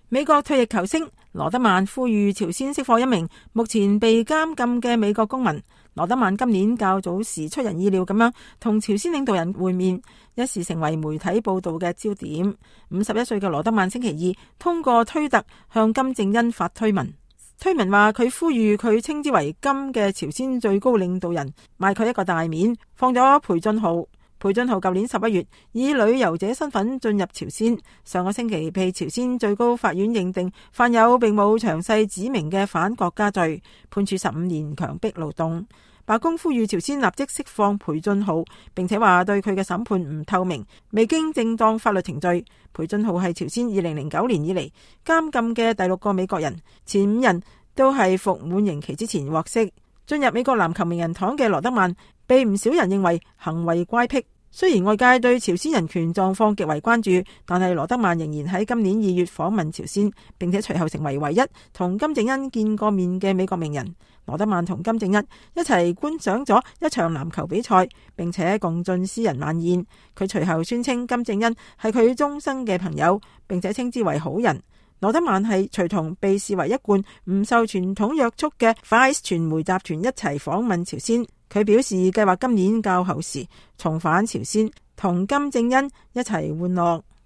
美國退役球星羅德曼呼籲朝鮮釋放一名目前被監禁嘅美國公民。羅德曼今年較早時出人意料咁樣同朝鮮領導人會面，一時成為媒體報道嘅焦點。51歲嘅羅德曼星期二通過推特向金正恩發推文，推文話佢呼籲佢稱之為金嘅朝鮮最高領導人賣佢一個大面，放咗裴俊浩。裴俊浩舊年11月以旅遊者身份進入朝鮮，上個星期被朝鮮最高法院認定犯有並冇詳細指明嘅反國家罪，判處15年強迫勞動。白宮呼籲朝鮮立即釋放裴俊浩，並且話對佢嘅審判唔透明，未經正當法律程序。裴俊浩係朝鮮2009年以嚟監禁嘅第6個美國人，前5人都係服滿刑期之前獲釋。進入美國籃球名人堂嘅羅德曼被唔少人認為行為乖僻。雖然外界對朝鮮人權狀況極為關注，但係羅德曼仍然喺今年2月訪問朝鮮，並且隨後成為唯一同金正恩見過面嘅美國名人。羅德曼同金正恩一齊觀賞咗一場籃球比賽，並且共進私人晚宴。佢隨後宣稱金正恩係佢終生嘅朋友，並且稱之為好人。羅德曼係隨同被視為一貫唔受傳統約束嘅 Vice 傳媒集團一齊訪問朝鮮。佢表示計劃今年較後時重返朝鮮，同金正恩一齊玩樂。